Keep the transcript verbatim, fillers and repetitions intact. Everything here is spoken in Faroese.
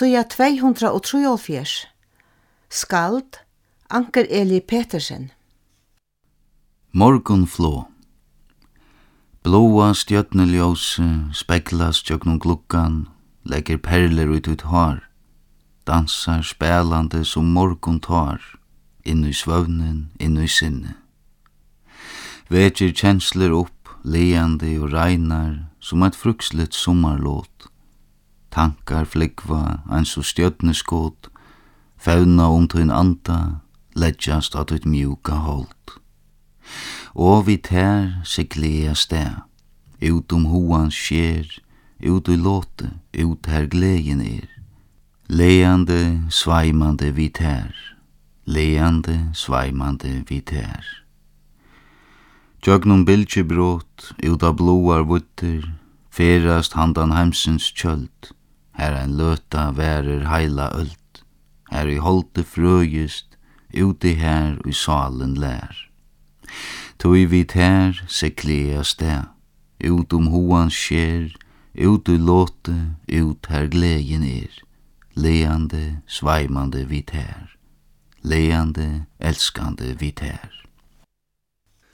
Síða tvey hundrað og trýoghálvfjerðs. Skald, Anker Eli Petersen. Morgunflog. Bláa stjørnuljósið speglast gjøgnum gluggan, leggur perlur í títt hár, dansar spælandi sum morguntár, inn í svøvnin, inn í sinnið. Vekir kenslur upp, lagandi og reinar, sum eitt frískt summarlot. Tankar flúgva eins og stjørnuskot, fevna um tín anda, leggjast á títt mjúka hold. Og við tær sigli eg avstað, út um hugans sker, út í lotið, út har gleðin er. Lagandi, sveimandi við tær, lagandi, sveimandi við tær. Gjøgnum bylgjubrot, út á bláar víddir, ferðast handan heimsins tjöld, har ein løta varir heila øld, har í holdi frøist, úti har í sálin lær. Tí við tær sigli eg avstað, út um hugans sker, út í lotið, út har gleðin er, lagandi, sveimandi við tær, lagandi, elskandi við tær.